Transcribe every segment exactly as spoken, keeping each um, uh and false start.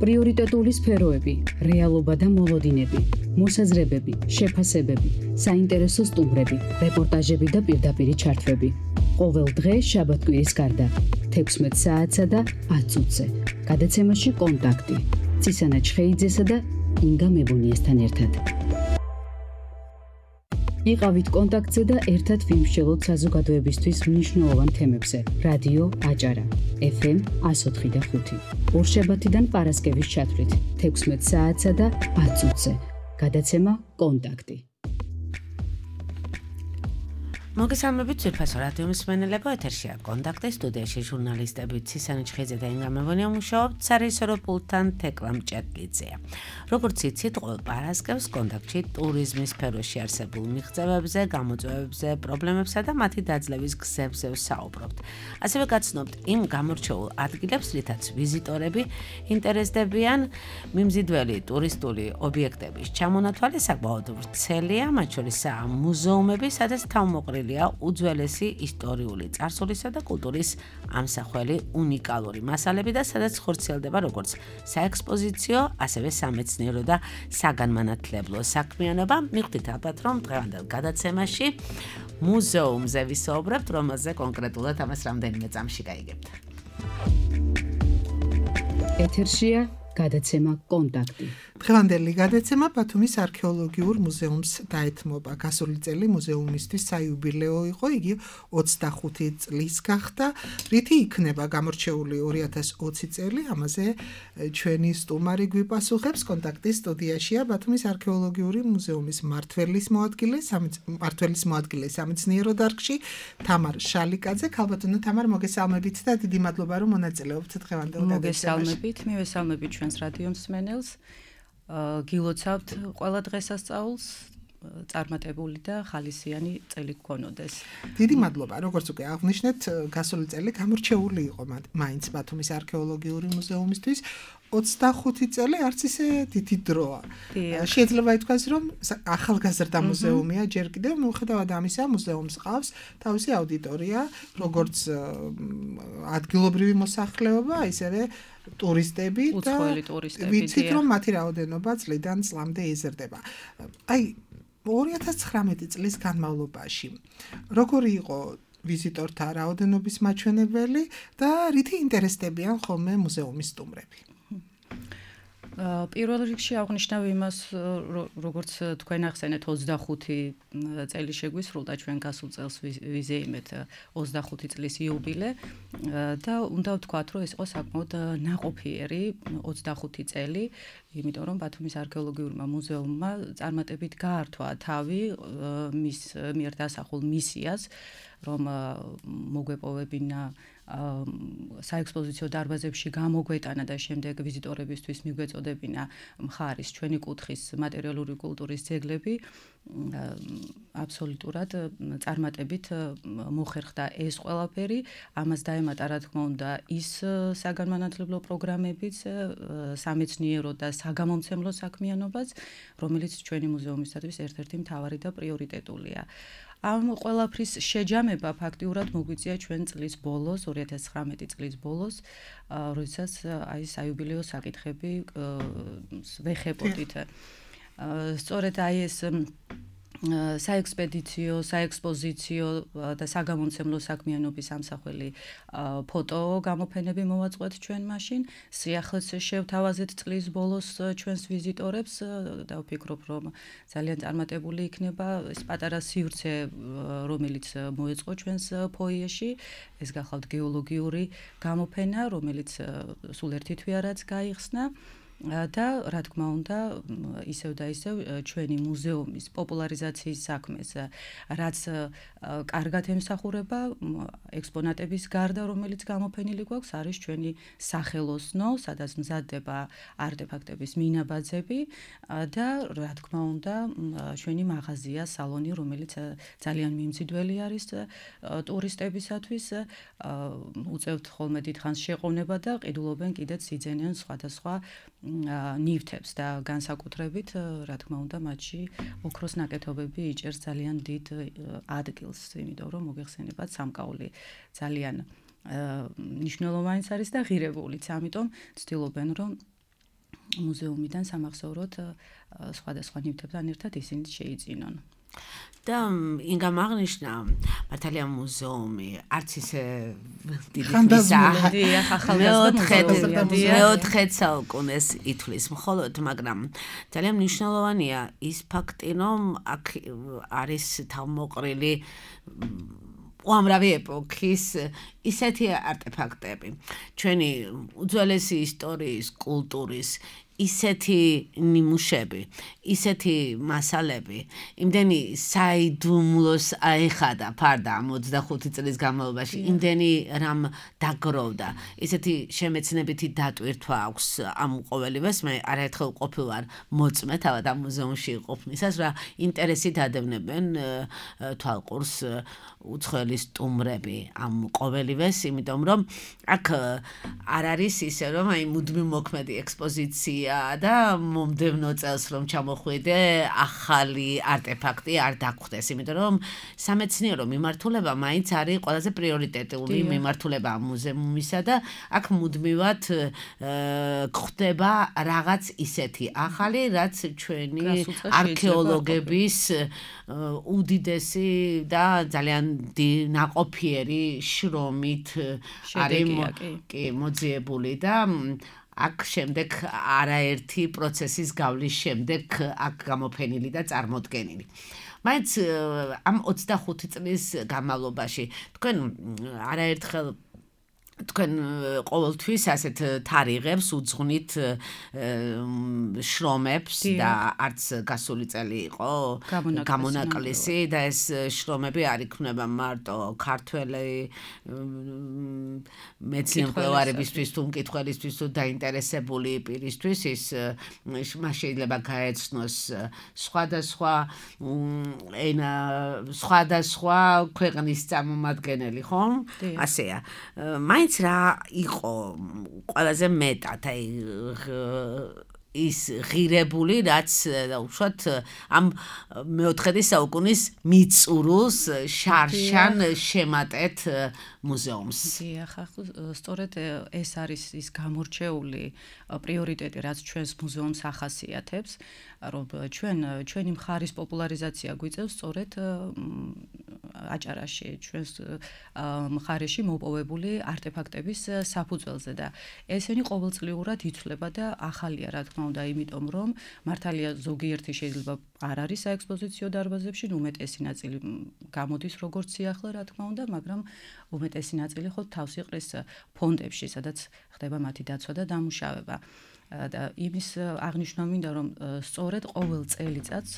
პრიორიტეტული სფეროები, რეალობა და მოლოდინები, მოსაზრებები, შეფასებები, საინტერესო სტუმრები, რეპორტაჟები და პირდაპირი ჩართვები. ყოველ დღე შაბათ-კვირის გარდა, თექვსმეტ საათსა და ათ წუთზე. გადაცემაში კონტაქტი. ცისანა ჩხეიძესა და ინგა მებუნიესთან ერთად. იყავით კონტაქტზე და ერთად ვიმსჯელოთ საზოგადოებისთვის მნიშვნელოვან თემებზე. რადიო აჭარა, ეფ ემ εκατო ოთხი და ხუთი. ორშაბათიდან პარასკევის ჩათვლით, თექვსმეტ საათსა და ათ წუთზე. გადაცემა კონტაქტი. მოგესალმებით ძვირფასო რადიო მსმენელებო, ეთერშია კონტაქტი, სტუდიაში ჟურნალისტები ცისანა ჩხეიძე და ინგა მებუნია მუშაობთ, სარეჟისორო პულტთან თეკლა მჭედლიძეა. როგორც იცით, ყოველ პარასკევს კონტაქტში ტურიზმის სფეროში არსებულ მიღწევებზე, გამოწვევებზე, პრობლემებსა და მათი დაძლევის გზებზე ვსაუბრობთ. ასევე გაცნობთ იმ გამორჩეულ ადგილებს, რითაც ვიზიტორები ინტერესდებიან. მიმზიდველი ტურისტული ობიექტების ჩამონათვალე საკმაოდ ვრცელია, მათ შორისაა მუზეუმები, სადაც თავმოყრილია უძველესი ისტორიული წარსულისა და კულტურის ამსახველი უნიკალური მასალები და სადაც ხორციელდება როგორც საექსპოზიციო, ასევე სამეცნიერო და საგანმანათლებლო საქმიანობა. მიხვდით ალბათ, რომ დღევანდელ გადაცემაში მუზეუმზე ვისაუბრებთ, რომელზე კონკრეტულად ამას რამდენიმე წამში გაიგებთ. ეთერშია გადაცემა კონტაქტი. დღევანდელი გადაცემა ბათუმის არქეოლოგიურ მუზეუმს დაეთმობა. გასული წელი მუზეუმისთვის საიუბილეო იყო, იგი ოცდახუთი წლის გახდა, რითი იქნება გამორჩეული ორი ათას ოცი წელი. ამაზე ჩვენი სტუმარი გვიპასუხებს. კონტაქტის სტუდიაშია ბათუმის არქეოლოგიური მუზეუმის მმართველის მოადგილე, მმართველის მოადგილე სამეცნიერო დარგში თამარ შალიკაძე. ქალბატონო თამარ, მოგესალმებით და დიდი მადლობა, რომ მონაწილეობთ დღევანდელ გადაცემაში. მოგესალმებით, მივესალმებით ჩვენს რადიო მსმენელს. გილოცავთ ყველა დღესასწაულს, წარმატებული და ხალისიანი წელი გქონოდეს. დიდი მადლობა. როგორც უკვე აღნიშნეთ, გასული წელი გამორჩეული იყო მაინც ბათუმის არქეოლოგიური მუზეუმისთვის. ოცდახუთი წელი არც ისე დიდი დროა. შეიძლება ითქვას, რომ ახალგაზრდა მუზეუმია ჯერ კიდევ, მიუხედავად ამისა, მუზეუმს ყავს თავისი აუდიტორია, როგორც ადგილობრივი მოსახლეობა, ისევე ტურისტები და ვიცით, რომ მათი რაოდენობა წლიდან წლამდე იზრდება. აი, ორი ათას ცხრამეტი წლის განმავლობაში როგორი იყო ვიზიტორთა რაოდენობის მაჩვენებელი და რითი ინტერესდებიან ხოლმე მუზეუმის სტუმრები? პირველ რიგში აღნიშნავ იმას, როგორც თქვენ ახსენეთ, ოცდახუთი წელი შეგვისრულდა, ჩვენ გასულ წელს ვიზეიმეთ ოცდახუთი წლის იუბილე და უნდა ვთქვათ, რომ ეს იყო საკმაოდ ნაყოფიერი ოცდახუთი წელი, იმიტომ რომ ბათუმის არქეოლოგიურმა მუზეუმმა წარმატებით გაართვა თავი მის მიერ დასახულ მისიას, რომ მოგვეპოვებინა საექსპოზიციო დარბაზებში გამოგვეტანა და შემდეგ ვიზიტორებისთვის მიგვეწოდებინა მხარის ჩვენი კუთხის მატერიალური კულტურის ძეგლები. აბსოლუტურად წარმატებით მოხერხდა ეს ყველაფერი. ამას დაემატა, რა თქმა უნდა, ის საგანმანათლებლო პროგრამებიც, სამეცნიერო და საგამომცემლო საქმიანობაც, რომელიც ჩვენი მუზეუმისათვის ერთ-ერთი მთავარი და პრიორიტეტულია. ამ ყველაფრის შეჯამება ფაქტიურად მოგვიწია ჩვენ წლის ბოლოს, ორი ათას ცხრამეტი წლის ბოლოს, როდესაც აი საიუბილეო საკითხები ვეხებოდით. სწორედ აი ეს საექსპედიციო, საექსპოზიციო და საგამომცემლო საქმიანობის ამსახველი ფოტო გამოფენები მოვაწყვეთ ჩვენ მაშინ. სიახლეს შევთავაზეთ წლის ბოლოს ჩვენს ვიზიტორებს და ვფიქრობ, რომ ძალიან წარმატებული იქნება ეს პატარა სივრცე, რომელიც მოეწყო ჩვენს ფოიეში. ეს გახლავთ გეოლოგიური გამოფენა, რომელიც სულ ერთი თვეარაც გაიხსნა. და რა თქმა უნდა, ისევ და ისევ ჩვენი მუზეუმის პოპულარიზაციის საქმეს, რაც კარგად ემსახურება ექსპონატების გარდა, რომელიც გამოფენილი გვაქვს, არის ჩვენი სახელოსნო, სადაც მზადდება არტეფაქტების მინაბაძები და რა თქმა უნდა, ჩვენი მაღაზია, სალონი, რომელიც ძალიან მიმზიდველი არის ტურისტებისათვის, უწევთ ხოლმე დიდხანს შეყოვნება და ყიდულობენ კიდეც იძენიან სხვადასხვა ნივთებს და განსაკუთრებით, რა თქმა უნდა, მათში ოქროს ნაკეთობები იჭერს ძალიან დიდ ადგილს, იმიტომ რომ მოგეხსენებათ სამკაული ძალიან მნიშვნელოვანიც არის და ღირებულიც, ამიტომ ცდილობენ, რომ მუზეუმიდან სამახსოვროდ სხვადასხვა ნივთებთან ერთად ისინი შეიძინონ. და ინგამ აღნიშნა მართალია მუზეუმი არც ისე დიდი მეოთხე საუკუნეს ითვლის მხოლოდ, მაგრამ ძალიან მნიშვნელოვანია ის ფაქტი, რომ აქ არის თავმოყრილი უამრავი ეპოქის ისეთი არტეფაქტები, ჩვენი უძველესი ისტორიის, კულტურის ისეთი ნიმუშები, ისეთი მასალები, იმდენი საიდუმლოს აეხადა ფარდა ოცდახუთი წლის განმავლობაში, იმდენი რამ დაგროვდა, ისეთი შემეცნებითი დატვირთვა აქვს ამ ყოველივეს, მე არაერთხელ ყოფილვარ მოწმე თავად ამ მუზეუმში ყოფნისას, რა ინტერესით ადევნებენ თვალყურს უცხოელი სტუმრები ამ ყოველივეს, იმიტომ რომ აქ არ არის ისე რომ აი მუდმივ მოქმედი ექსპოზიცია და მომდევნო წელს რომ ჩამოხვიდე ახალი არტეფაქტი არ დაგხვდეს, იმიტომ რომ სამეცნიერო მიმართულება მაინც არის ყველაზე პრიორიტეტული მიმართულება მუზეუმისა და აქ მუდმივად გვხვდება რაღაც ისეთი ახალი, რაც ჩვენი არქეოლოგების უდიდესი და ძალიან ნაყოფიერი შრომით არის მოძიებული და აქ შემდეგ არაერთი პროცესის გავლის შემდეგ აქ გამოფენილი და წარმოდგენილი. მაინც ამ ოცდახუთი წლის განმავლობაში თქვენ არაერთხელ თქვენ ყოველთვის ასეთ თარიღებს უძღვნით შრომებს და არც გასული წელი იყო გამონაკლისი და ეს შრომები არ იქნება მარტო ქართველი მეცნიერებისთვის თუ მკითხველისთვის თუ დაინტერესებული პირისთვის ის მას შეიძლება გაეცნოს სხვადასხვა ენა სხვადასხვა ქვეყნის წარმომადგენელი, ხო? ასეა. მაინც რა იყო ყველაზე მეტად აი ის ღირებული, რაც უშუალოდ ამ მეოთხე საუკუნის მიწურულს შარშან შემატეთ მუზეუმს. დიახ, სწორედ ეს არის ის გამორჩეული პრიორიტეტი, რაც ჩვენს მუზეუმს ახასიათებს, რომ ჩვენ ჩვენი მხარის პოპულარიზაცია გვიწევს სწორედ აჭარაში, ჩვენს მხარეში მოპოვებული არტეფაქტების საფუძველზე და ესენი ყოველწლიურად იცვლება და ახალია, რა თქმა უნდა, იმიტომ რომ მართალია ზოგიერთი შეიძლება არ არის საექსპოზიციო დარბაზებში, უმეტესი ნაწილი გამოდის როგორც სიახლე, რა თქმა უნდა, მაგრამ უმეტესი ნაწილი ხო თავს იყრის ფონდებში, სადაც ხდება მათი დაცვა და დამუშავება. და იმის აღნიშნა მინდა რომ სწორედ ყოველ წელიწადს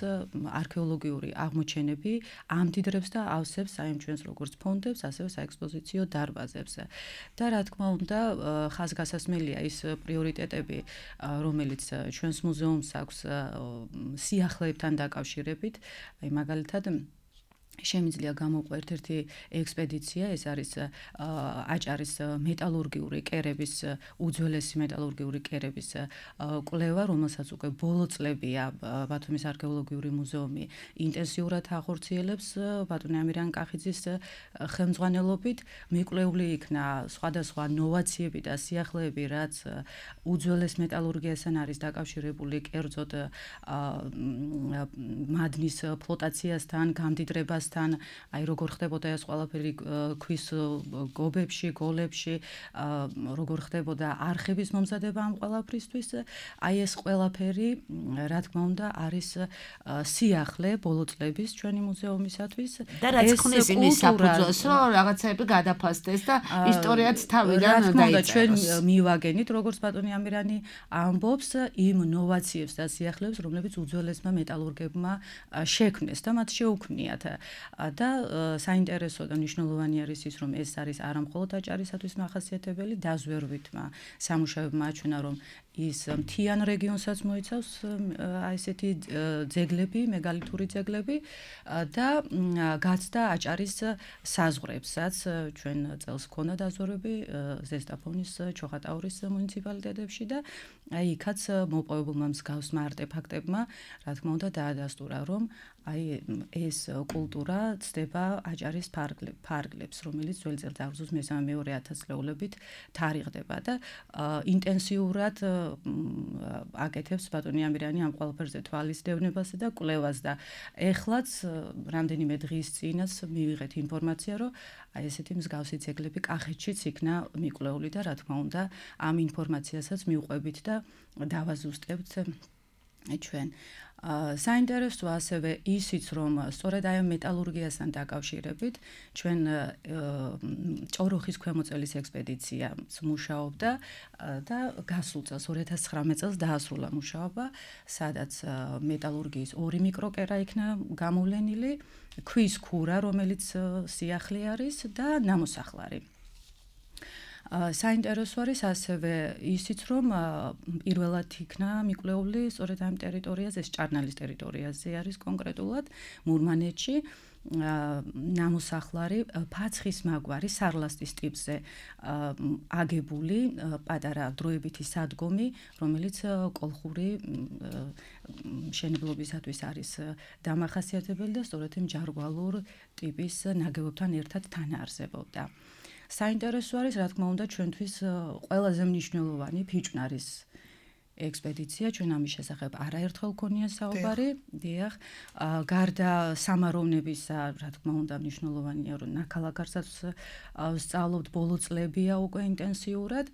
არქეოლოგიური აღმოჩენები ამდიდრებს და ავსებს აი ჩვენს როგორც ფონდებს, ასევე საექსპოზიციო დარბაზებს. და რა თქმა უნდა, ხაზგასასმელია ის პრიორიტეტები, რომელიც ჩვენს მუზეუმს აქვს სიახლეებთან დაკავშირებით, აი მაგალითად შემიძლია გამოვყვა ერთ-ერთი ექსპედიცია, ეს არის აჭარის მეტალურგიული კერების, უძველესი მეტალურგიული კერების კვლევა, რომელსაც უკვე ბოლო წლებია ბათუმის არქეოლოგიური მუზეუმი ინტენსიურად ახორციელებს ბატონი ამირან კახიძის ხელმძღვანელობით. მიკვლეული იქნა სხვადასხვა ნოვაციები და სიახლეები, რაც უძველეს მეტალურგიასთან არის დაკავშირებული, კერძოდ მადნის ფლოტაციასთან, გამდიდრებას აი როგორ ხდებოდა ეს ყველაფერი ქვის გობებში, გოლებში, როგორ ხდებოდა არხების მომზადება ამ ყველაფრისთვის, აი ეს ყველაფერი, რა თქმა უნდა, არის სიახლე ბოლო წლების ჩვენი მუზეუმისათვის. და რაც ხნის იმის საფუძველს, რომ რაღაცები გადაფასდეს და ისტორიაც თავიდან დაიწეროს. ჩვენ მივაგენით, როგორც ბატონი ამირანი ამბობს, იმ ნოვაციებს და სიახლეებს, რომლებიც უძველესმა მეტალურგებმა შექმნეს და მათ შეუქმნიათ. და საინტერესო და მნიშვნელოვანი არის ის, რომ ეს არის არა მხოლოდ აჭარისათვის მახასიათებელი, დაზვერვითმა სამუშაოებმა აჩვენა, რომ ის მთიან რეგიონსაც მოიცავს აი ესეთი ძეგლები, მეგალითური ძეგლები და გაცდა აჭარის საზღვრებსაც. ჩვენ წელს ქონდა დაზვერვები ზესტაფონის, ჩოხატაურის მუნიციპალიტეტებში და აი იქაც მოპოვებულმა მსგავსმა არტეფაქტებმა, რა თქმა უნდა, დაადასტურა, რომ აი ეს კულტურა ცდება აჭარის ფარგლებს, რომელიც ძველი წელთაღრიცხვის მესამე-მეორე ათასწლეულებით თარიღდება და ინტენსიურად აკეთებს ბატონი ამირიანი ამ ყველაფერზე თვალის დევნებასა და კვლევას და ეხლაც რამდენიმე დღის წინაც მივიღეთ ინფორმაცია, რომ აი ესეთი მსგავსი ძეგლები კახეთშიც იქნა მიკვლეული და რა თქმა უნდა ამ ინფორმაციასაც მივყვებით და დავაზუსტებთ ჩვენ. საინტერესო ასევე ისიც, რომ სწორედ აი მეტალურგიასთან დაკავშირებით ჩვენ ჭოროხის ქვემოწელის ექსპედიციაც მუშაობდა და გასულ წელს ორი ათას ცხრამეტ წელს დაასრულა მუშაობა, სადაც მეტალურგიის ორი მიკროკერა იქნა გამოვლენილი, ქვის ქურა, რომელიც სიახლე არის და ნამოსახლარი. საინტერესო არის ასევე ისიც, რომ პირველად იქნა მიკვლეული სწორედ ამ ტერიტორიაზე, ეს ჭარნალის ტერიტორიაზე არის კონკრეტულად, მურმანეთში, ნამოსახლარი ფაცხის მაგვარი სარლასტის ტიპზე აგებული პატარა დროებითი სადგომი, რომელიც კოლხური მშენებლობისათვის არის დამახასიათებელი და სწორედ იმ ჯარგვალურ ტიპის ნაგებობთან ერთად თანაარსებობდა. საინტერესო არის, რა თქმა უნდა, ჩვენთვის ყველაზე მნიშვნელოვანი ფიჭვნარის ექსპედიცია, ჩვენ ამის შესახებ არაერთხელ გქონია საუბარი, დიახ, გარდა სამაროვნებისა, რა თქმა უნდა, მნიშვნელოვანია, რომ ნაქალაქარსაც სწავლობთ ბოლო წლებია უკვე ინტენსიურად.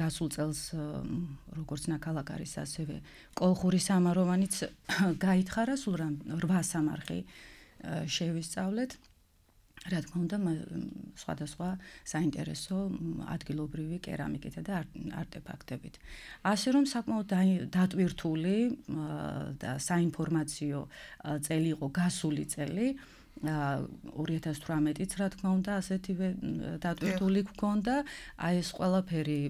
გასულ წელს როგორც ნაქალაქარის, ასევე კოლხური სამაროვანიც გაითხარა, სულ რვა სამარხი შევისწავლეთ. რა თქმა უნდა, სხვადასხვა საინტერესო ადგილობრივი კერამიკითა და არტეფაქტებით. ასე რომ საკმაოდ დატვირთული და საინფორმაციო წელი იყო გასული წელი. ორი ათას თვრამეტიც რა თქმა უნდა ასეთივე დატვირთული გქონდა. აი ეს ყველაფერი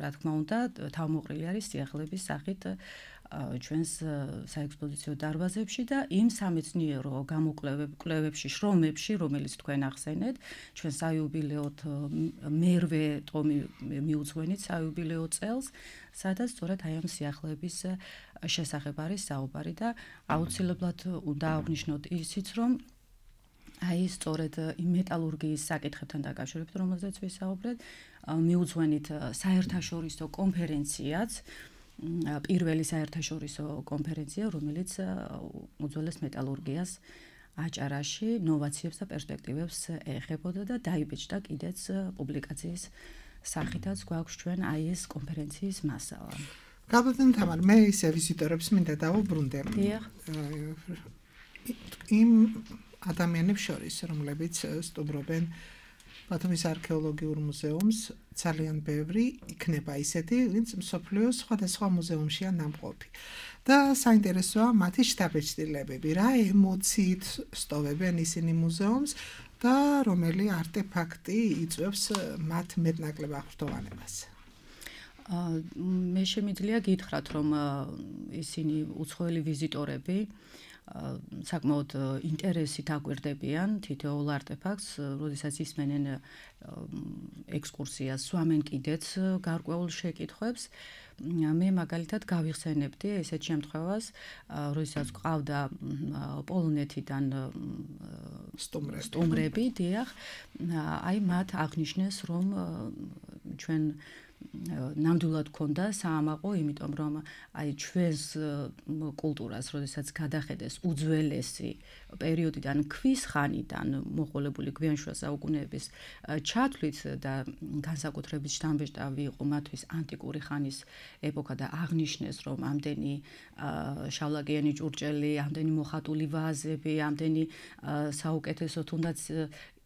რა თქმა უნდა თავმოყრილი არის სიახლეების სახით ჩვენს საექსპოზიციო დარბაზებში და იმ სამეცნიერო გამოკვლევებში, შრომებში, რომელიც თქვენ ახსენეთ, ჩვენ საიუბილეოდ მერვე ტომი მიუძღვენით საიუბილეო წელს, სადაც სწორედ აი ამ სიახლეების შესახებ არის საუბარი და აუცილებლად უნდა აღვნიშნოთ ისიც, რომ აი სწორედ იმ მეტალურგიის საკითხებთან დაკავშირებით, რომელზეც ვისაუბრეთ, მიუძღვენით საერთაშორისო კონფერენციაც, პირველი საერთაშორისო კონფერენცია, რომელიც უძველეს მეტალურგიას აჭარაში ნოვაციებს და პერსპექტივებს ეხებოდა და დაიბეჭდა კიდეც პუბლიკაციის სახითაც გვაქვს ჩვენ აი ეს კონფერენციის მასალა. გაბატონო თამარ, მე ისე ვიზიტორებს მინდა დავუბრუნდე. დიახ. იმ ადამიანებს შორის, რომლებიც სტუმრობენ ბათუმის არქეოლოგიურ მუზეუმს, ძალიან ბევრი იქნება ისეთი, ვინც მსოფლიოს სხვადასხვა მუზეუმშია ნამყოფი. და საინტერესოა მათი შთაბეჭდილებები, რა ემოციით სტოვებენ ისინი მუზეუმს და რომელი არტეფაქტი იწვევს მათ მეტნაკლებ აღფრთოვანებას. მე შემიძლია გითხრათ, რომ ისინი უცხოელი ვიზიტორები საკმაოდ ინტერესით აკვირდებიან თითოეულ არტეფაქტს, როდესაც ისმენენ ექსკურსიას, სვამენ კიდეც გარკვეულ შეკითხვებს. მე მაგალითად გავიხსენებდი ესეთ შემთხვევას, როდესაც ყავდა პოლონეთიდან სტუმრები, დიახ, აი მათ აღნიშნეს, რომ ჩვენ ნამდვილად ქონდა საამაყო, იმიტომ რომ აი ჩვენს კულტურას, როდესაც გადახედეს უძველესი პერიოდიდან, ქვის ხანიდან მოყოლებული გვიანშუა საუკუნეების ჩათვლით და განსაკუთრებით შთამბეჭდავი იყო მათთვის ანტიკური ხანის ეპოქა და აღნიშნეს, რომ ამდენი შავლაკიანი ჭურჭელი, ამდენი მოხატული ვაზები, ამდენი საუკეთესო თუნდაც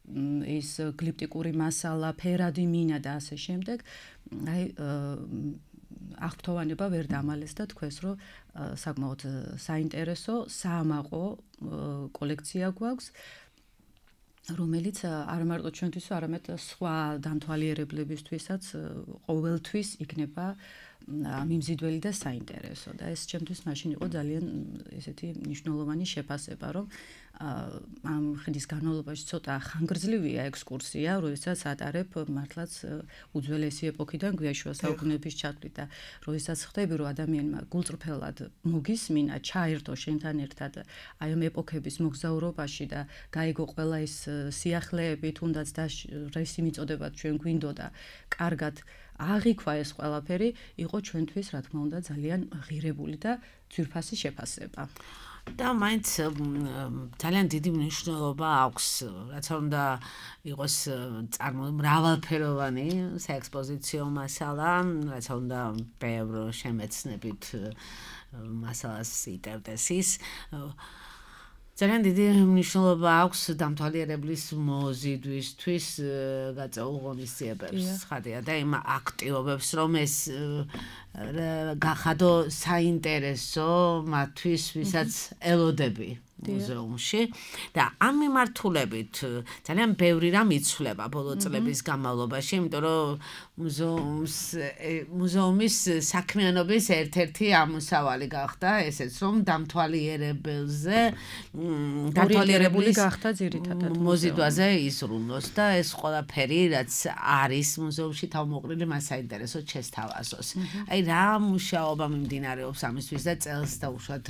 ის გლიპტიკური მასალა, ფერადი მინა და ასე შემდეგ, აი აღფრთოვანება ვერ დამალეს და თქვეს, რომ საკმაოდ საინტერესო საამაყო კოლექცია გვაქვს, რომელიც არა მარტო ჩვენთვის, არამედ სხვა დამთვალიერებლებისთვისაც ყოველთვის იქნება მიმზიდველი და საინტერესო და ეს ჩემთვის მაშინ იყო ძალიან ესეთი მნიშვნელოვანი შეფასება, რომ ამ ხნის განმავლობაში ცოტა ხანგრძლივია ექსკურსია, როდესაც ატარებ მართლაც უძველესი ეპოქიდან გვიაშუა საუკუნეების ჩათვლით და როდესაც ხდები, რომ ადამიანმა გულწრფელად მოგისმინა, ჩაერთო შენთან ერთად აი ამ ეპოქების მოგზაურობაში და გაიგო ყველა ის სიახლეები, თუნდაც და რისი მიწოდებათ ჩვენ გვინდოდა, კარგად აღიქვა ეს ყველაფერი, იყო ჩვენთვის, რა თქმა უნდა, ძალიან ღირებული და ძვირფასი შეფასება. და მაინც ძალიან დიდი მნიშვნელობა აქვს, რაც უნდა იყოს მრავალფეროვანი საექსპოზიციო მასალა, რაც უნდა ბევრ შემეცნებით მასალას იტევდეს ის. ძალიან დიდი მნიშვნელობა აქვს დამთვალიერებლის მოზიდვისთვის გაწეულ ღონისძიებებს, ხადია და იმ აქტივობებს, რომ ეს გახადო საინტერესო მათთვის, ვისაც ელოდები მუზეუმში და ამ მიმართულებით ძალიან ბევრი რამ იცვლება ბოლო წლების განმავლობაში, იმიტომ რომ მუზეუმს მუზეუმის საქმიანობის ერთ-ერთი ამოსავალი გახდა ესეც, რომ დამთვალიერებელზე დამთვალიერებული გახდა ძირითადად მოზიდვაზე იზრუნოს და ეს ყველაფერი, რაც არის მუზეუმში თავმოყრილი, მას საინტერესოდ შესთავაზოს. აი რა მუშაობა მიმდინარეობს ამისთვის და წელს დაუშვათ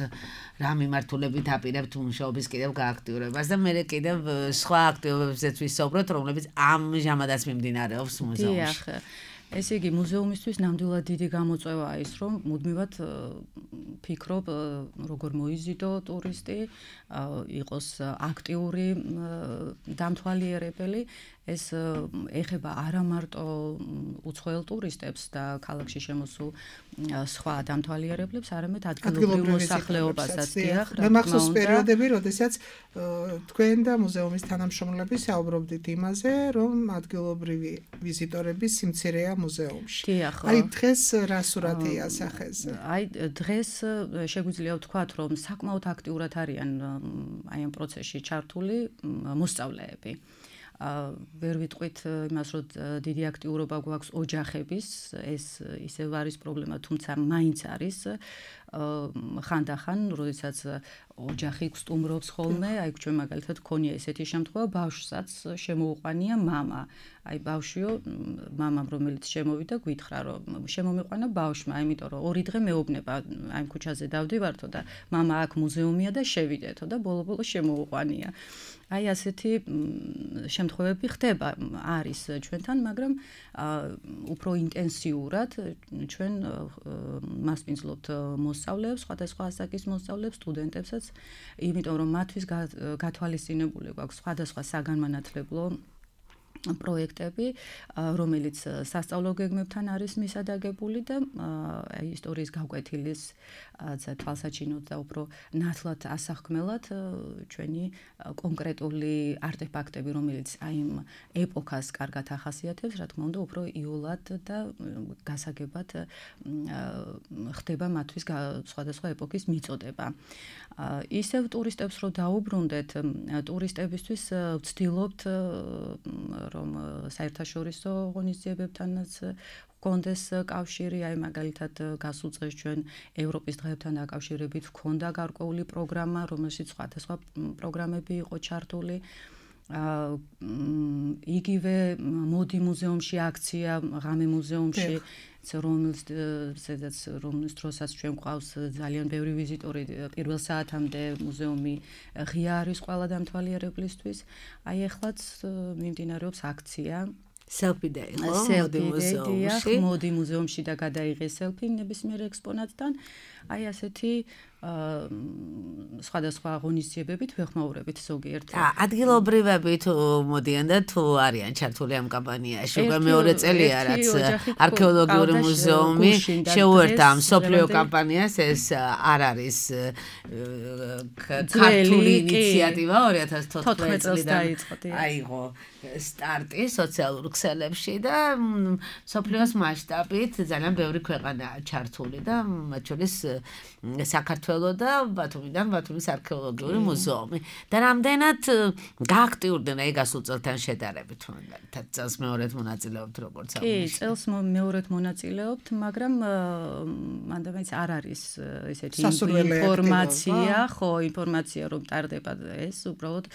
რა მიმართულებით აპირებთ მუშაობის კიდევ გააქტიურებას და მე კიდევ სხვა აქტივობებზეც ვისაუბროთ, რომლებიც ამჟამადაც მიმდინარეობს მუზეუმში. ესე იგი, მუზეუმისთვის ნამდვილად დიდი გამოწვევაა ის, რომ მუდმივად ფიქრობ, როგორ მოიზიდო ტურისტი, იყოს აქტიური დამთვალიერებელი. ეს ეხება არა მარტო უცხოელ ტურისტებს და ქალაქში შემოსულ სხვა დამთვალიერებლებს, არამედ ადგილობრივ მოსახლეობასაც. მე მახსოვს პერიოდები, როდესაც თქვენ და მუზეუმის თანამშრომლები საუბრობდით იმაზე, რომ ადგილობრივი ვიზიტორების სიმცირეა მუზეუმში. აი დღეს რა სურათია სახეზე? აი დღეს შეგვიძლია ვთქვათ, რომ საკმაოდ აქტიურად არიან აი ამ პროცესში ჩართული მოსწავლეები. ვერ ვიტყვით იმას, რომ დიდი აქტიურობა გვაქვს ოჯახების, ეს ისევ არის პრობლემა, თუმცა მაინც არის ხანდახან, როდესაც ოჯახი გსტუმრობს ხოლმე, აი ჩვენ მაგალითად გქონია ესეთი შემთხვევა, ბავშვსაც შემოუყვანია მამა. აი ბავშვიო, მამამ რომელიც შემოვიდა, გვითხრა რომ შემომიყვანა ბავშვმა, იმიტომ რომ ორი დღე მეუბნება, აი ამ ქუჩაზე დავდივართო და მამა აქ მუზეუმია და შევიდეთო და ბოლო-ბოლო შემოუყვანია. აი ასეთი შემთხვევები ხდება, არის ჩვენთან, მაგრამ უფრო ინტენსიურად ჩვენ მასპინძლობთ მოსწავლეებს, სხვადასხვა ასაკის მოსწავლეებს, სტუდენტებსაც, იმიტომ რომ მათთვის გათვალისწინებული გვაქვს სხვადასხვა საგანმანათლებლო პროექტები, რომელიც სასწავლო გეგმებთან არის მისადაგებული და აი ისტორიის გაკვეთილის თვალსაჩინოდ და უფრო ნათლად ასახქმელად ჩვენი კონკრეტული არტეფაქტები, რომელიც აი იმ ეპოქას კარგად ახასიათებს, რა თქმა უნდა, უფრო იოლად და გასაგებად ხდება მათთვის სხვადასხვა ეპოქის მიწოდება. ისევ ტურისტებს რო დაუბრუნდეთ, ტურისტებისთვის ვცდილობთ რომ საერთაშორისო ღონისძიებებთანაც გქონდეს კავშირი, აი მაგალითად გასულ წელს ჩვენ ევროპის დღეებთან დაკავშირებით გქონდა გარკვეული პროგრამა, რომელშიც სხვადასხვა პროგრამები იყო ჩართული. იგივე მოდი მუზეუმში აქცია, ღამე მუზეუმში, რომელსაც რომლის დროსაც ჩვენ გვყავს ძალიან ბევრი ვიზიტორი, პირველ საათამდე მუზეუმი ღია არის ყველა დამთვალიერებლისთვის. აი ეხლაც მიმდინარეობს აქცია Selfie day, მოდი მუზეუმში. მოდი მუზეუმში და გადაიღე selfie ნებისმიერ ექსპონატთან. აი ასეთი სხვადასხვა ღონისძიებებით ვეხმაურებით ზოგიერთ. ადგილობრივები თუ მოდიან და თუ არიან ჩართული ამ კამპანიაში, უკვე მეორე წელია, რაც არქეოლოგიური მუზეუმი შეუერთდა ამ მსოფლიო კამპანიას, ეს არ არის ქართული ინიციატივა ორი ათას თოთხმეტ წლიდან აიღო სტარტი სოციალურ ქსელებში და მსოფლიოს მასშტაბით ძალიან ბევრი ქვეყანაა ჩართული და მათ შორის საქართველო და ბათუმიდან ბათუმის არქეოლოგიური მუზეუმი. და რამდენად გააქტიურდნენ აი გასულ წელთან შედარებით, მაგალითად წელს მეორედ მონაწილეობთ როგორც ამაში. კი, წელს მეორედ მონაწილეობთ, მაგრამ მანდა მაინც არ არის ესეთი ინფორმაცია, ხო, ინფორმაცია რომ ტარდება ეს, უბრალოდ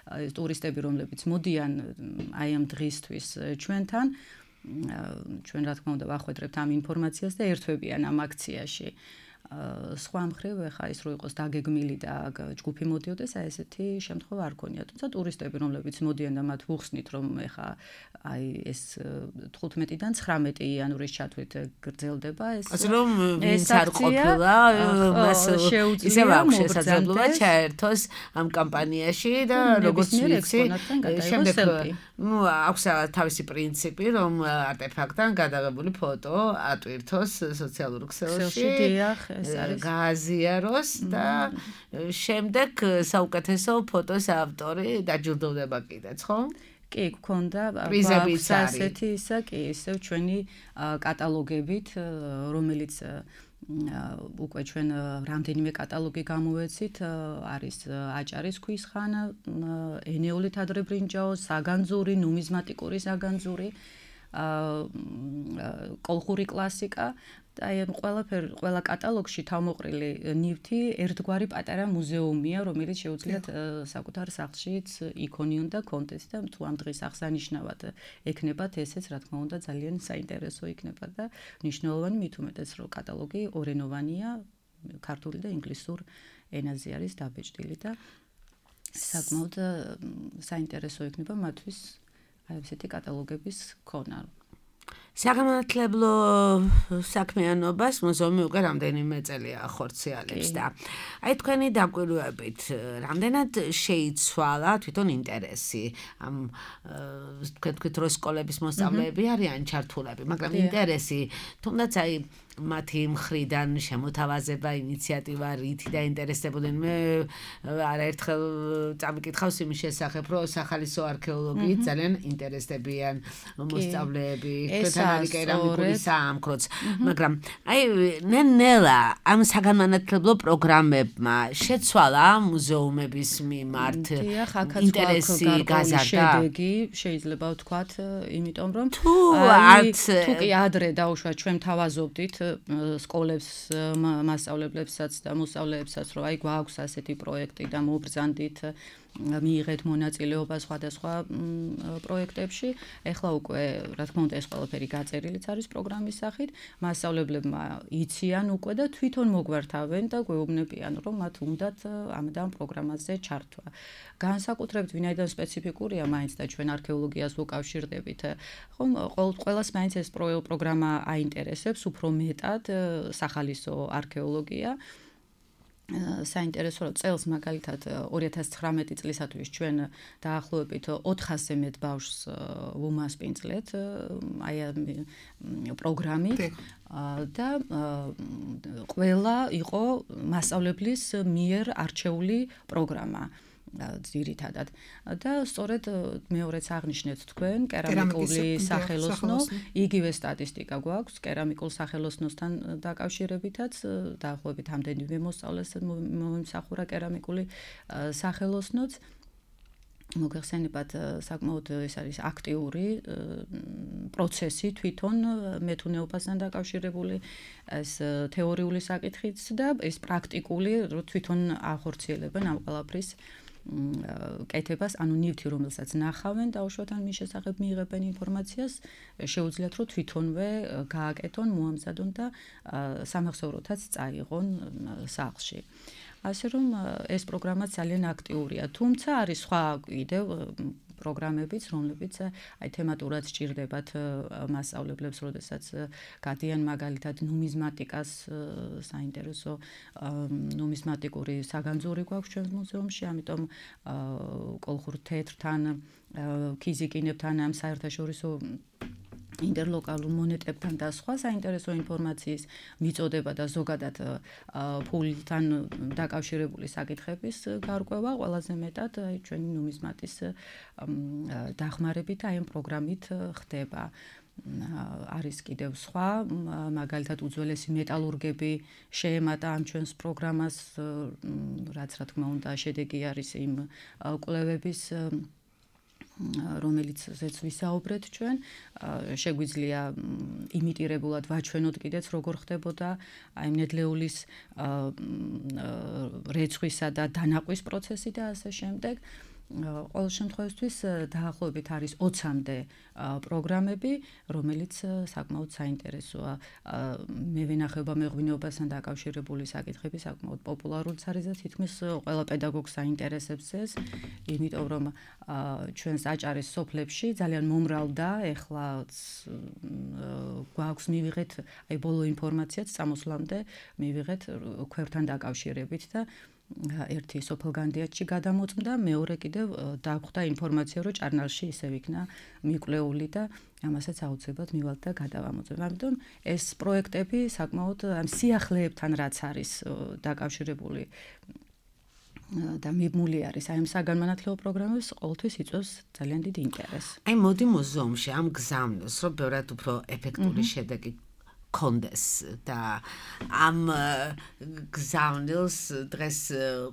ტურისტები რომლებიც მოდიან აი ამ დღისთვის ჩვენთან, ჩვენ რა თქმა უნდა ვახვედრებთ ამ ინფორმაციას და ერთვებიან ამ აქციაში. სხვა მხრივ ეხა ის რო იყოს დაგეგმილი და ჯგუფი მოდიოდეს, აი ესეთი შემთხვევა არ ქონია. თუმცა ტურისტები, რომლებიც მოდიან და მათ ვუხსნით, რომ ეხა აი ეს თხუთმეტიდან ცხრამეტი იანვრის ჩათვლით გრძელდება ეს. ასე რომ ვინც არ ყოფილა, მას ისევ აქვს შესაძლებლობა ჩაერთოს ამ კამპანიაში და როგორც ვიცი, შემდეგ ну აქვს თავისი პრინციპი, რომ არტეფაქტთან გადაღებული ფოტო ატვირთოს სოციალურ ქსელში, გააზიაროს და შემდეგ საუკეთესო ფოტოს ავტორი დაჯილდოვდება კიდეც, ხო? კი, გქონდა აქვს ასეთი ისა, კი, ისევ ჩვენი კატალოგებით, რომელიც უკვე ჩვენ რამდენიმე კატალოგი გამოვეცით, არის აჭარის ქვის ხანა, ენეული თადრებრინჯაო, საგანძური, ნუმიზმატიკური საგანძური, კოლხური კლასიკა და აი ამ ყველაფერ ყველა კატალოგში თავმოყრილი ნივთი ერთგვარი პატარა მუზეუმია, რომელიც შეუძლიათ საკუთარ სახლშიც იქონი უნდა კონტენტი და თუ ამ დღის აღსანიშნავად ეკნებათ ესეც, რა თქმა უნდა, ძალიან საინტერესო იქნება და მნიშვნელოვანი, მით უმეტეს რომ კატალოგი ორენოვანია, ქართული და ინგლისურ ენაზე არის დაბეჭდილი და საკმაოდ საინტერესო იქნება მათთვის აი ესეთი კატალოგების ქონა. საგანმანათლებლო საქმიანობას მუზეუმი უკვე რამდენიმე წელია ახორციელებს და აი თქვენი დაკვირვებით რამდენად შეიცვალა თვითონ ინტერესი ამ თქვენ თქვით რომ სკოლების მოსწავლეები არიან ჩართულები, მაგრამ ინტერესი თუნდაც აი მათი მხრიდან შემოთავაზება ინიციატივა რითი დაინტერესებოდნენ. მე არაერთხელ წამიკითხავს იმის შესახებ, რომ სახალისო არქეოლოგიით ძალიან ინტერესდებიან მოსწავლეები, თქვენთან არის კერამიკული საამქროც, მაგრამ აი ნელა ამ საგანმანათლებლო პროგრამებმა შეცვალა მუზეუმების მიმართ ინტერესი გაზარდა. შედეგი შეიძლება ვთქვათ, იმიტომ რომ აი თუ კი ადრე დაუშვათ ჩვენ თავაზობდით სკოლებს, მასწავლებლებსაც და მოსწავლეებსაც, რომ აი გვაქვს ასეთი პროექტი და მობრძანდით მიიღეთ მონაწილეობა სხვადასხვა პროექტებში. ეხლა უკვე, რა თქმა უნდა, ეს ყველაფერი გაწერილიც არის პროგრამის სახით. მასწავლებლებმა იციან უკვე და თვითონ მოგვართავენ და გვეუბნებიან, რომ მათ უნდათ ამ და ამ პროგრამაზე ჩართვა. განსაკუთრებით ვინაიდან სპეციფიკურია მაინც და ჩვენ არქეოლოგიას ვუკავშირდებით, ხომ ყველას მაინც ეს პროგრამა აინტერესებს, უფრო მეტად სახალისო არქეოლოგია. საინტერესო რომ წელს მაგალითად ორი ათას ცხრამეტი წლისათვის ჩვენ დაახლოებით ოთხასზე მეტ ბავშვს ვუმასპინძლეთ აი ამ პროგრამით და ყველა იყო მასწავლებლის მიერ არჩეული პროგრამა. ძირითადად და სწორედ მეორეც აღნიშნეთ თქვენ კერამიკული სახელოსნო, იგივე სტატისტიკა გვაქვს კერამიკულ სახელოსნოსთან დაკავშირებითაც, დაახლოებით ამდენივე მოსწავლეს მომიმსახურა კერამიკული სახელოსნოც. მოგეხსენებათ, საკმაოდ ეს არის აქტიური პროცესი თვითონ მეთუნეობასთან დაკავშირებული, ეს თეორიული საკითხიც და ეს პრაქტიკული თვითონ ახორციელებენ ამ ყველაფრის კეთებას, ანუ ნივთი რომელსაც ნახავენ დაუშვათ ან მის შესახებ მიიღებენ ინფორმაციას, შეუძლიათ რომ თვითონვე გააკეთონ, მოამზადონ და სამახსოვროთაც წაიღონ სახლში. ასე რომ ეს პროგრამა ძალიან აქტიურია, თუმცა არის სხვა კიდევ პროგრამებიც, რომლებიც აი თემატურად სჭირდებათ მასწავლებლებს, როდესაც გადიან მაგალითად ნუმიზმატიკას საინტერესო ნუმიზმატიკური საგანძური გვაქვს ჩვენს მუზეუმში, ამიტომ კოლხურ თეთრთან, ქიზიკინებთან ამ საერთაშორისო ინტერლოკალურ მონეტებთან და სხვა საინტერესო ინფორმაციის მიწოდება და ზოგადად ფულთან დაკავშირებული საკითხების გარკვევა ყველაზე მეტად აი ჩვენი ნუმიზმატის დახმარებით აი ამ პროგრამით ხდება. არის კიდევ სხვა, მაგალითად უძველესი მეტალურგები შეემატა ამ ჩვენს პროგრამას, რაც რა თქმა უნდა შედეგი არის იმ კვლევების რომელიც ზეც ვისაუბრეთ ჩვენ, შეგვიძლია იმიტირებულად ვაჩვენოთ კიდეც როგორ ხდებოდა აი ნედლეულის რეცხვისა და დანაყვის პროცესი და ასე შემდეგ. ყოველ შემთხვევაში დაახლოებით არის ოცამდე პროგრამები, რომელიც საკმაოდ საინტერესოა. მე ვინახება მეღვინეობასთან დაკავშირებული საკითხები საკმაოდ პოპულარული არის და თითქმის ყველა პედაგოგს საინტერესებს ეს, იმიტომ რომ ჩვენს აჭარის სოფლებში ძალიან მომრავლდა, ეხლა გვაქვს მივიღეთ აი ბოლო ინფორმაციაც წამოსვლამდე მივიღეთ ქვევთან დაკავშირებით და ერთი სოფელგანდიათში გადამოწმდა, მეორე კიდევ დაგვხვდა ინფორმაცია, რომ ჭარნალში ისევ იქნა მიკვლეული და ამასაც აუცილებლად მივალთ და გადავამოწმებ. ამიტომ ეს პროექტები საკმაოდ ამ სიახლეებთან რაც არის დაკავშირებული და მიბმული არის აი ამ საგანმანათლებლო პროგრამებს ყოველთვის იწვევს ძალიან დიდ ინტერესს. აი მოდი მუზეუმში ამ გზავნილს, რომ ბევრად უფრო ეფექტური შედეგი კონდეს და ამ გზავნილს დღეს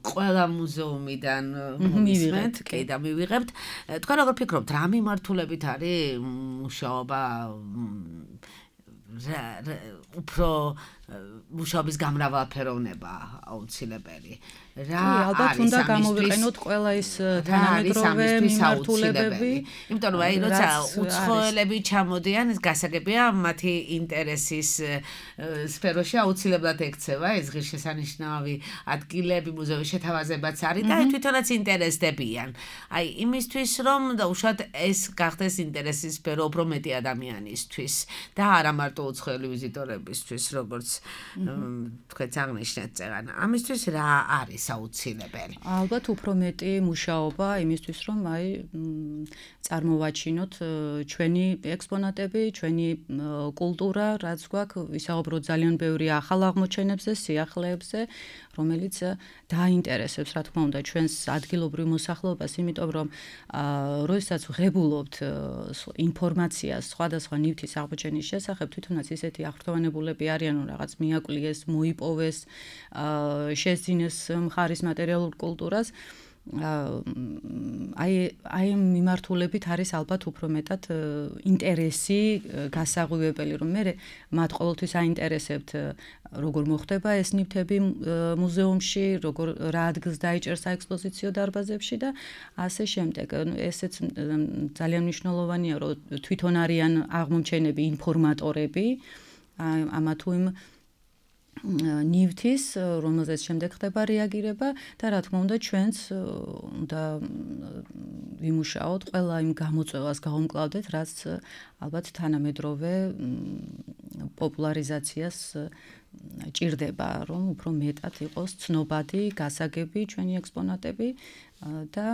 ყველა მუზეუმიდან მივიღებთ, კი და მივიღებთ. თქვენ როგორ ფიქრობთ, რა მიმართულებით არის მუშაობა უფრო მუშაობის გამრავალფეროვნება აუცილებელი. რა ალბათ უნდა გამოვიყენოთ ყველა ის თანამედროვე მიმართულებები, იმიტომ რომ აი როცა უცხოელები ჩამოდიან, ეს გასაგებია მათი ინტერესის სფეროში აუცილებლად ექცევა ეს ღირსშესანიშნავი ადგილები, მუზეუმის შეთავაზებაც არის და თვითონაც ინტერესდებიან. აი იმისთვის რომ უშუალოდ ეს გახდეს ინტერესის სფერო უფრო მეტი ადამიანისთვის და არა მარტო უცხოელი ვიზიტორებისთვის, როგორც თქვენ აღნიშნეთ წეგან. ამისთვის რა არის აუცილებელი? ალბათ უფრო მეტი მუშაობა იმისთვის, რომ აი წარმოვაჩინოთ ჩვენი ექსპონატები, ჩვენი კულტურა, რაც გვაქვს, ვისაუბროთ ძალიან ბევრი ახალ აღმოჩენებზე, სიახლეებზე, რომელიც დაინტერესებს, რა თქმა უნდა, ჩვენს ადგილობრივ მოსახლეობას, იმიტომ რომ როდესაც ვღებულობთ ინფორმაციას სხვადასხვა ნივთის აღმოჩენის შესახებ, თვითონაც ისეთი აღფრთოვანებულები არიან, რომ რაღაც მიაკვლიეს, მოიპოვეს, შეძინეს მხარის მატერიალურ კულტურას. აი აი მიმართულებით არის ალბათ უფრო მეტად ინტერესი გასაღვივებელი, რომ მე მათ ყოველთვის აინტერესებთ როგორ მოხდება ეს ნივთები მუზეუმში, როგორ რა ადგილს დაიჭერს საექსპოზიციო დარბაზებში და ასე შემდეგ. ესეც ძალიან მნიშვნელოვანია, რომ თვითონ არიან აღმომჩენები ინფორმატორები ამა თუ იმ ნივთის, რომელზეც შემდეგ ხდება რეაგირება და რა თქმა უნდა ჩვენც უნდა ვიმუშაოთ ყველა იმ გამოწვევას გავუმკლავდეთ, რაც ალბათ თანამედროვე პოპულარიზაციას ჭირდება, რომ უფრო მეტად იყოს ცნობადი, გასაგები ჩვენი ექსპონატები და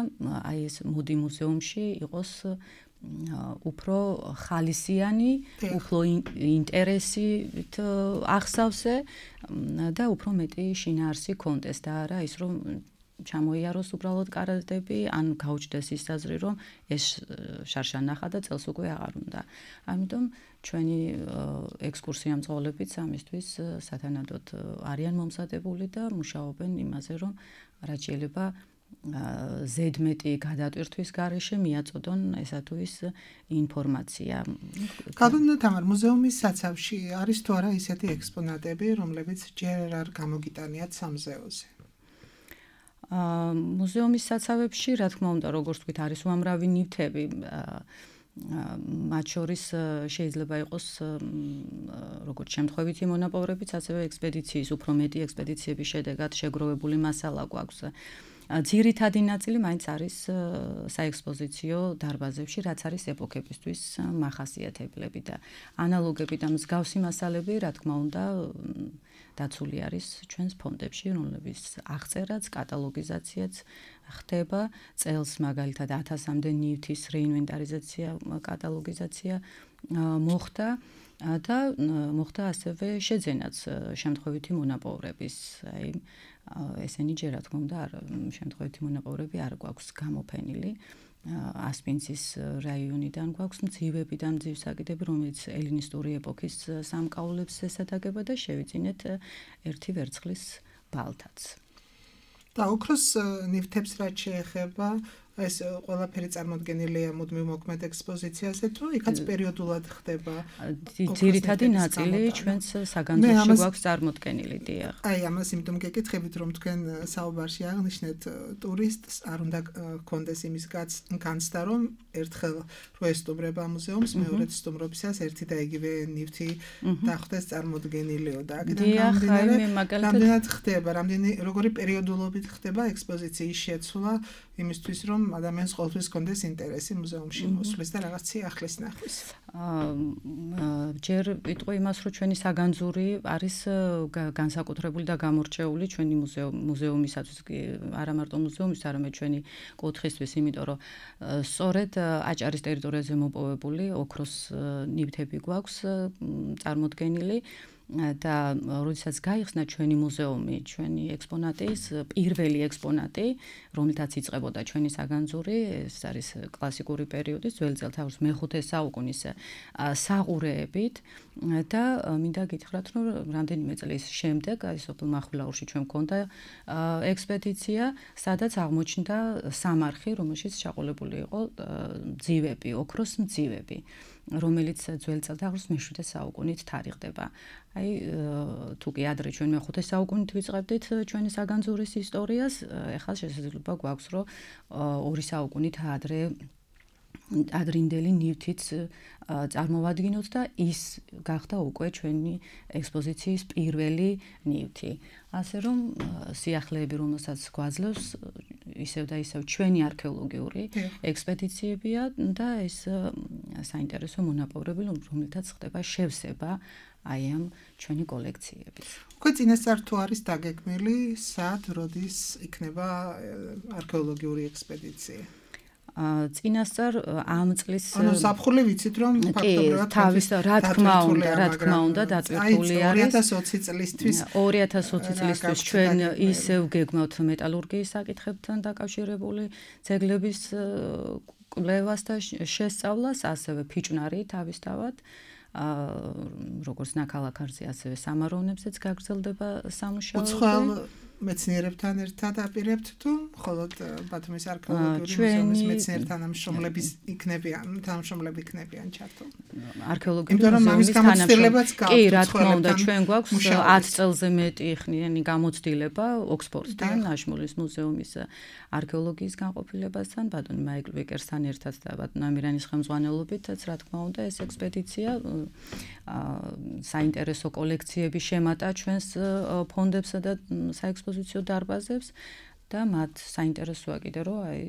აი ეს მოდი მუზეუმში იყოს უფრო ხალისიანი, უფრო ინტერესით ახსავსე და უფრო მეტი შინაარსი კონდეს და არა ის რომ ჩამოიაროს უბრალოდ კარადები, ან გაუჩნდეს ის აზრი, რომ ეს შარშან ნახა და წელს უკვე აღარ უნდა. ამიტომ ჩვენი ექსკურსია მძღოლებიც ამისთვის სათანადოდ არიან მომზადებული და მუშაობენ იმაზე, რომ რაც შეიძლება ზედმეტი გადატვირთვის გარეშე მიაწოდონ ესა თუ ის ინფორმაცია. კადუნდა თამარ მუზეუმის საცავში არის თუ არა ისეთი ექსპონატები, რომლებიც ჯერ არ გამოგიტანიათ სამზეოზე? მუზეუმის საცავებში, რა თქმა უნდა, როგორც ვთქვით, არის უამრავი ნივთები. მათ შორის შეიძლება იყოს როგორც შემთხვევითი მონაპოვრებიც, ასევე ექსპედიციის, უფრო მეტი ექსპედიციების შედეგად შეგროვებული მასალა გვაქვს. ძირითადი ნაწილი მაინც არის საექსპოზიციო დარბაზებში, რაც არის ეპოქებისთვის მახასიათებლები და ანალოგები და მსგავსი მასალები, რა თქმა უნდა, დაცული არის ჩვენს ფონდებში, რომლებიც აღწერაც, კატალოგიზაციაც ხდება, წელს მაგალითად ათასამდე ნივთის რეინვენტარიზაცია, კატალოგიზაცია მოხდა და მოხდა ასევე შეძენაც შემთხვევითი მონაპოვრების, აი ესენი ჯერ რა თქმა უნდა შემთხვევითი მონაპოვრები არ გვაქვს გამოფენილი. ასპინცის რაიონიდან გვაქვს მძივები და მძივსაკიდები, რომელიც ელინისტური ეპოქის სამკაულებს ესადაგება და შევიძინეთ ერთი ვერცხლის ბალთაც. და ოქროს ნივთებს რაც შეეხება, ეს ყველაფერი წარმოდგენილია მუდმივ მოქმედ ექსპოზიციაზე თუ იქაც პერიოდულად ხდება ძირითადი ნაწილი ჩვენს საგანძურში გვაქვს წარმოდგენილი დიახ აი ამას იმიტომ გეკითხებით რომ თქვენ საუბარში აღნიშნეთ ტურისტს არ უნდა გქონდეს იმის განცდა რომ ერთხელ რო ესტუმრება მუზეუმს მეორედ სტუმრობისას ერთი და იგივე ნივთი დახვდეს წარმოდგენილიო და აქედან გამომდინარე რამდენად ხდება რამდენი როგორი პერიოდულობით ხდება ექსპოზიციის შეცვლა იმისთვის რომ ადამიანს ყოველთვის კონდეს ინტერესი მუზეუმში მოსვლის და რაღაც ციახლის ნახვის. ჯერ ვიტყვი იმას რომ ჩვენი საგანძური არის განსაკუთრებული და გამორჩეული ჩვენი მუზეუმისათვის არა მარტო მუზეუმის არამედ ჩვენი კუთხისთვის იმიტომ რომ სწორედ აჭარის ტერიტორიაზე მოპოვებული ოქროს ნივთები გვაქვს წარმოდგენილი და როდესაც გაიხსნა ჩვენი მუზეუმი, ჩვენი ექსპონატის პირველი ექსპონატი, რომელთაც იწყებოდა ჩვენი საგანძური, ეს არის კლასიკური პერიოდის, ძველი წელთაღრიცხვის მეხუთე საუკუნის საყურეებით და მინდა გითხრათ, რომ რამდენიმე წლის შემდეგ, აი სოფელ მახვილაურში ჩვენ მქონდა ექსპედიცია, სადაც აღმოჩნდა სამარხი, რომელშიც ჩაყოლებული იყო მძივები, ოქროს მძივები. რომელიც ძველი წელთაღრიცხვის მეშვიდე საუკუნით თარიღდება. აი თუ კი ადრე ჩვენ მეხუთე საუკუნით ვიწყებდით ჩვენი საგანძურის ისტორიას, ეხლა შესაძლებლობა გვაქვს, რომ ორი საუკუნით ადრე ადრინდელი ნივთიც წარმოვადგინოთ და ის გახდა უკვე ჩვენი ექსპოზიციის პირველი ნივთი. ასე რომ სიახლეები, რომელსაც გვაძლევს ისევ და ისევ ჩვენი არქეოლოგიური ექსპედიციებია და ეს საინტერესო მონაპოვრები, რომელთაც ხდება შევსება აი ამ ჩვენი კოლექციების. უკვე წინასწარ თუ არის დაგეგმილი, სად, როდის იქნება არქეოლოგიური ექსპედიცია? წინასწარ ამ წლის ანუ საფხული ვიცით რომ ფაქტობრივად თავის რა თქმა უნდა რა თქმა უნდა დატვირთული არის ორი ათას ოცი წლისთვის ორი ათას ოცი წლისთვის ჩვენ ისევ გეგმავთ მეტალურგიის საკითხებთან დაკავშირებული ძეგლების კვლევას და შესწავლას ასევე ფიჭვნარი თავისთავად როგორც ნაქალაქარზე ასევე სამაროვნებზეც გაგრძელდება სამუშაოები მეცნიერებთან ერთად აპირებთ თუ მხოლოდ ბათუმის არქეოლოგიური მუზეუმის მეცნიერ თანამშრომლების იქნებიან, თანამშრომლები იქნებიან ჩართული. არქეოლოგიური მუზეუმის თანამშრომლებიც გაქვთ. კი, რა თქმა უნდა, ჩვენ გვაქვს ათ წელზე მეტი ხნიანი გამოცდილება ოქსფორდთან, აშმულის მუზეუმის არქეოლოგიის განყოფილებასთან, ბატონ მაიკლ ვიკერსთან ერთად და ბატონ ამირანის ხელმძღვანელობითაც, რა თქმა უნდა, ეს ექსპედიცია საინტერესო კოლექციების შემატა ჩვენს ფონდებსა და საექსპოზიციო დარბაზებს და მათ საინტერესოა კიდე რომ აი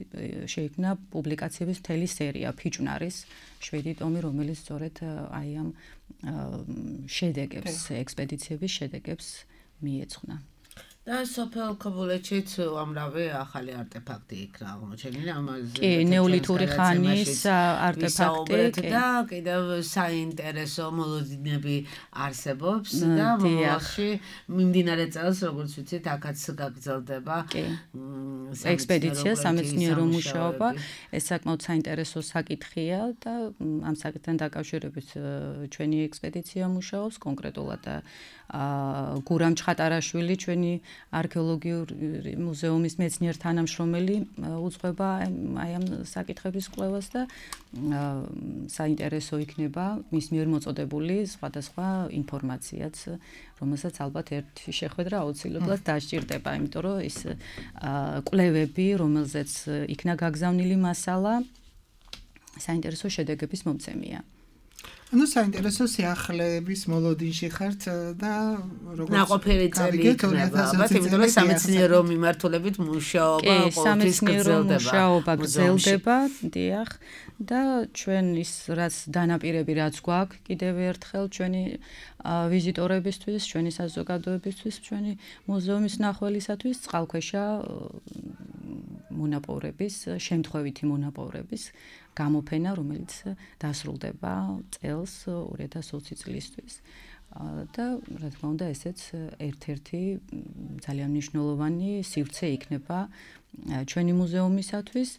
შეიქმნა პუბლიკაციების მთელი სერია ფიჭვნარის შვიდი ტომი, რომელიც სწორედ აი ამ შედეგებს, ექსპედიციების შედეგებს მიეძღვნა. და სოფელ ქობულეთშიც უამრავი ახალი არტეფაქტი იქნა აღმოჩენილი ამაზე. კი, ნეოლითური ხანის არტეფაქტი და კიდევ საინტერესო მოლოდინები არსებობს და მომავალში მიმდინარე წელს, როგორც ვიცით, აქაც გაგრძელდება ექსპედიცია, სამეცნიერო მუშაობა. ეს საკმაოდ საინტერესო საკითხია და ამ საკითხთან დაკავშირებით ჩვენი ექსპედიცია მუშაობს კონკრეტულად და გურამ ჩხატარაშვილი ჩვენი არქეოლოგიური მუზეუმის მეცნიერ თანამშრომელი უძღვება აი ამ საკითხების კვლევას და საინტერესო იქნება მის მიერ მოწოდებული სხვადასხვა ინფორმაციაც, რომელსაც ალბათ ერთი შეხვედრა აუცილებლად დასჭირდება, იმიტომ რომ ის კვლევები, რომელზეც იქნა გაგზავნილი მასალა, საინტერესო შედეგების მომცემია. ანუ საინტერესო სიახლეების მოლოდინში ხართ და როგორც ნაყოფიერი წელი იქნება, ალბათ იმიტომ რომ სამეცნიერო მიმართულებით მუშაობა ყოველთვის გრძელდება. გრძელდება, დიახ, და ჩვენ ის რაც დანაპირები რაც გვაქვს, კიდევ ერთხელ ჩვენი ვიზიტორებისთვის, ჩვენი საზოგადოებისთვის, ჩვენი მუზეუმის მნახველისათვის წყალქვეშა მონაპოვრების, შემთხვევითი მონაპოვრების გამოფენა, რომელიც დასრულდება წელს ორი ათას ოცი წლისთვის. და რა თქმა უნდა, ესეც ერთ-ერთი ძალიან მნიშვნელოვანი სივრცე იქნება ჩვენი მუზეუმისათვის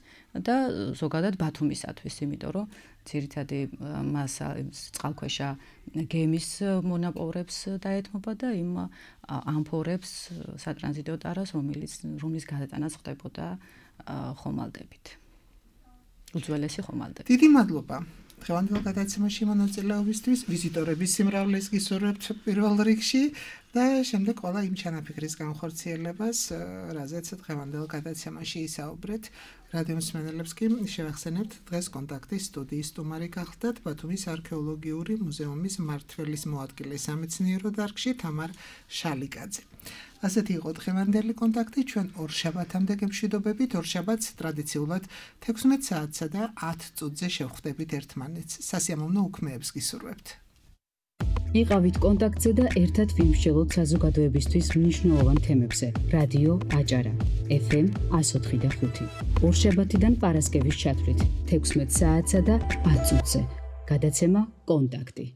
და ზოგადად ბათუმისათვის, იმიტომ რომ ძირითადი მასა წყალქვეშა გემის მონაპოვრებს დაეთმობა და იმ ამფორებს სატრანზიტო ტარას, რომელიც რომლის გადატანაც ხდებოდა ხომალდებით. უძველესი ხომალდები. დიდი მადლობა. დღევანდელ გადაცემაში მონაწილეობისთვის ვიზიტორების სიმრავლეს გისურვებთ პირველ რიგში და შემდეგ ყველა იმ ჩანაფიქრის განხორციელებას, რაზეც დღევანდელ გადაცემაში ისაუბრეთ. რადიო მსმენელებს კი შევახსენებთ დღეს კონტაქტის სტუდიის სტუმარი გახლდათ ბათუმის არქეოლოგიური მუზეუმის მმართველის მოადგილე სამეცნიერო დარგში თამარ შალიკაძე. ასეთი იყო დღევანდელი კონტაქტი, ჩვენ ორშაბათამდე გემშვიდობებით, ორშაბათს ტრადიციულად თექვსმეტ საათსა და ათ წუთზე შევხვდებით ერთმანეთს. სასიამოვნო უქმეებს გისურვებთ. იყავით კონტაქტზე და ერთად ვიმსჯელოთ საზოგადოებისთვის მნიშვნელოვან თემებზე. რადიო აჭარა ეფ ემ εκατო ოთხი და ხუთი. ორშაბათიდან პარასკევის ჩათვლით თექვსმეტ საათსა და ათ წუთზე. გადაცემა კონტაქტი.